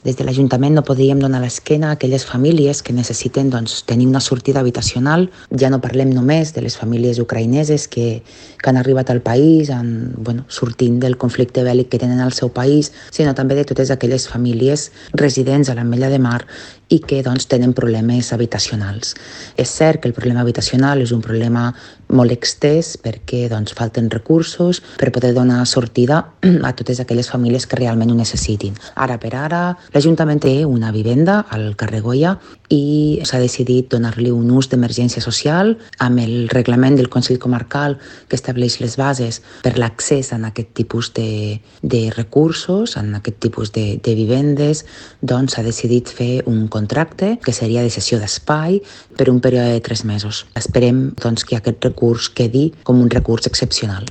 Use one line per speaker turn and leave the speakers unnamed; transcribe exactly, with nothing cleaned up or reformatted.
Des de l'Ajuntament no podríem donar l'esquena a aquelles famílies que necessiten doncs, tenir una sortida habitacional. Ja no parlem només de les famílies ucraïneses que, que han arribat al país en, bueno, sortint del conflicte bèl·lic que tenen al seu país, sinó també de totes aquelles famílies residents a l'Ametlla de Mar i que doncs, tenen problemes habitacionals. És cert que el problema habitacional és un problema molt extès perquè doncs, falten recursos per poder donar sortida a totes aquelles famílies que realment ho necessitin. Ara per ara, l'Ajuntament té una vivenda al carrer Goya i s'ha decidit donar-li un ús d'emergència social amb el reglament del Consell Comarcal que estableix les bases per l'accés a aquest tipus de, de recursos, en aquest tipus de, de vivendes, doncs s'ha decidit fer un contracte que seria de cessió d'espai per un període de tres mesos. Esperem doncs, que aquest recurs quedi com un recurs excepcional.